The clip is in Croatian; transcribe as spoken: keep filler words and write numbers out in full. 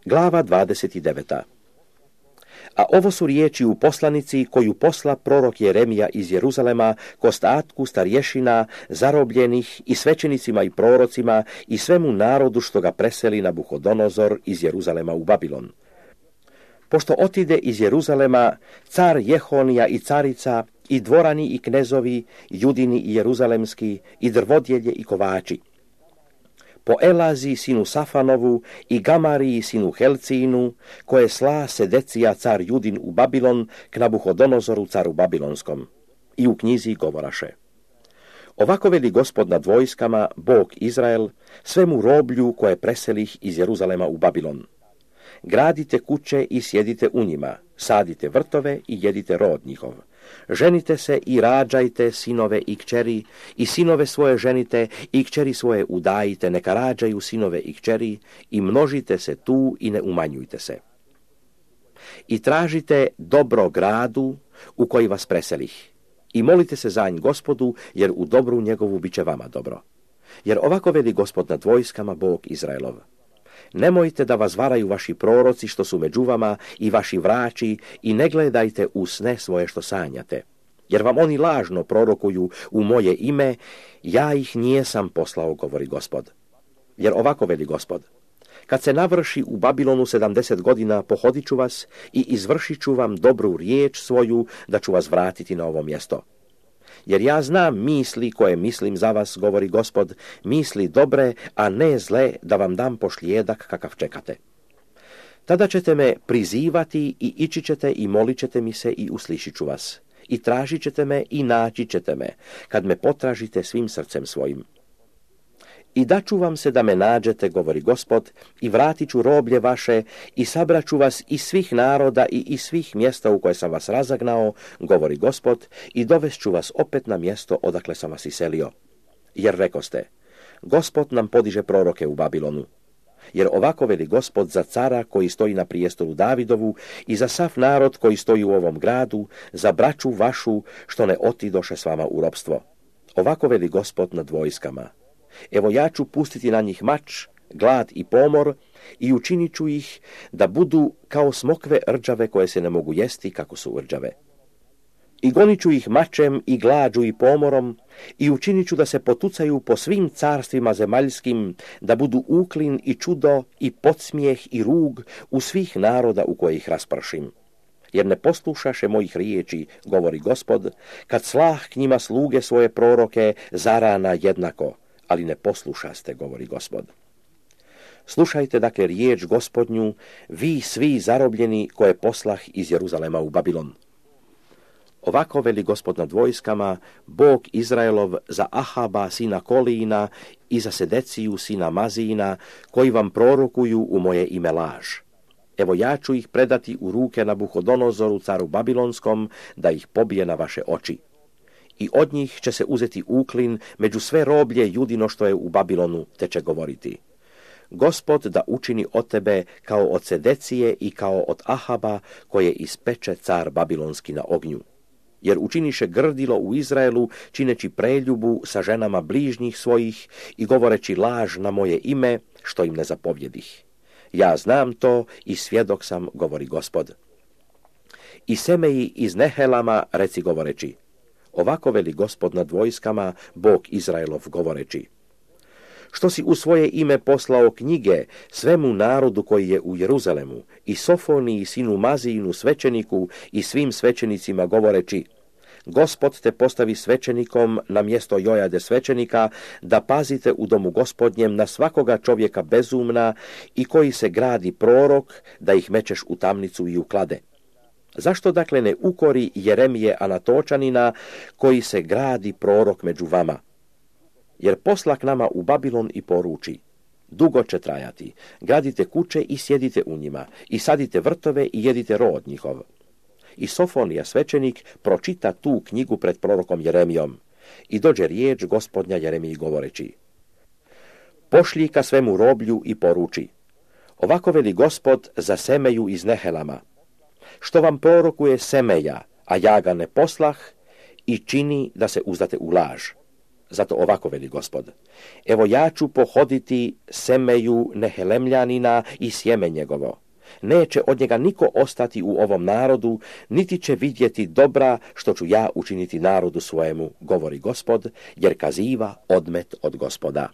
Glava dvadeset devet. A ovo su riječi u poslanici koju posla prorok Jeremija iz Jeruzalema k ostatku starješina, zarobljenih i svećenicima i prorocima i svemu narodu što ga preseli Nabuhodonozor iz Jeruzalema u Babilon. Pošto otide iz Jeruzalema car Jehonija i carica, i dvorani i knezovi, judini i jeruzalemski, i drvodjelje i kovači. Po Elazi sinu Safanovu i Gamariji sinu Helcinu, koje sla Sedecija car Judin u Babilon k Nabuhodonozoru caru Babilonskom. I u knjizi govoraše: Ovako veli Gospod nad vojskama, Bog Izrael, svemu roblju koje preselih iz Jeruzalema u Babilon. Gradite kuće i sjedite u njima, sadite vrtove i jedite rod njihov. Ženite se i rađajte sinove i kćeri, i sinove svoje ženite i kćeri svoje udajite, neka rađaju sinove i kćeri, i množite se tu i ne umanjujte se. I tražite dobro gradu u koji vas preselih, i molite se za nj Gospodu, jer u dobru njegovu bit će vama dobro. Jer ovako veli Gospod nad vojskama, Bog Izraelov: Nemojte da vas varaju vaši proroci što su među vama i vaši vrači, i ne gledajte u sne svoje što sanjate. Jer vam oni lažno prorokuju u moje ime, ja ih nijesam poslao, govori Gospod. Jer ovako veli Gospod: Kad se navrši u Babilonu sedamdeset godina, pohodit ću vas i izvršit ću vam dobru riječ svoju, da ću vas vratiti na ovo mjesto. Jer ja znam misli koje mislim za vas, govori Gospod, misli dobre, a ne zle, da vam dam pošlijedak kakav čekate. Tada ćete me prizivati i ići ćete i molit ćete mi se i uslišit ću vas. I tražit ćete me i naći ćete me, kad me potražite svim srcem svojim. I daću vam se da me nađete, govori Gospod, i vratit ću roblje vaše, i sabraću vas iz svih naroda i iz svih mjesta u koje sam vas razagnao, govori Gospod, i dovešću vas opet na mjesto odakle sam vas iselio. Jer rekoste: Gospod nam podiže proroke u Babilonu. Jer ovako veli Gospod za cara koji stoji na prijestolu Davidovu i za sav narod koji stoji u ovom gradu, za braću vašu što ne otidoše s vama u ropstvo. Ovako veli Gospod nad vojskama: Evo ja ću pustiti na njih mač, glad i pomor, i učinit ću ih da budu kao smokve rđave koje se ne mogu jesti kako su rđave. I gonit ću ih mačem i glađu i pomorom, i učinit ću da se potucaju po svim carstvima zemaljskim, da budu uklin i čudo i podsmijeh i rug u svih naroda u koje ih raspršim. Jer ne poslušaše mojih riječi, govori Gospod, kad slah k njima sluge svoje proroke zarana jednako, ali ne poslušaste, govori Gospod. Slušajte dakle riječ Gospodnju, vi svi zarobljeni koje poslah iz Jeruzalema u Babilon. Ovako veli Gospod nad vojskama, Bog Izraelov, za Ahaba sina Kolijina i za Sedeciju sina Mazijina, koji vam prorokuju u moje ime laž. Evo ja ću ih predati u ruke Nabuhodonozoru caru Babilonskom, da ih pobije na vaše oči. I od njih će se uzeti uklin među sve roblje judino što je u Babilonu, te će govoriti: Gospod da učini od tebe kao od Sedecije i kao od Ahaba, koje ispeče car Babilonski na ognju. Jer učiniše grdilo u Izraelu, čineći preljubu sa ženama bližnjih svojih i govoreći laž na moje ime, što im ne zapovjedih. Ja znam to i svjedok sam, govori Gospod. I Semeji iz Nehelama reci govoreći: Ovako veli Gospod nad vojskama, Bog Izraelov, govoreći: Što si u svoje ime poslao knjige svemu narodu koji je u Jeruzalemu, i Sofoniji sinu Mazijinu svećeniku i svim svećenicima govoreći: Gospod te postavi svećenikom na mjesto Jojade svećenika, da pazite u domu Gospodnjem na svakoga čovjeka bezumna i koji se gradi prorok, da ih mečeš u tamnicu i u klade. Zašto dakle ne ukori Jeremije Anatočanina, koji se gradi prorok među vama? Jer posla k nama u Babilon i poruči: Dugo će trajati, gradite kuće i sjedite u njima, i sadite vrtove i jedite rod njihov. I Sofonija svećenik pročita tu knjigu pred prorokom Jeremijom, i dođe riječ Gospodnja Jeremiji govoreći: Pošlji ka svemu roblju i poruči: Ovako veli Gospod za Semeju iz Nehelama: Što vam prorokuje Semeja, a ja ga ne poslah, i čini da se uzdate u laž. Zato ovako veli Gospod: evo ja ću pohoditi semeju Nehelemljanina i sjeme njegovo. Neće od njega niko ostati u ovom narodu, niti će vidjeti dobra što ću ja učiniti narodu svojemu, govori Gospod, jer kaziva odmet od Gospoda.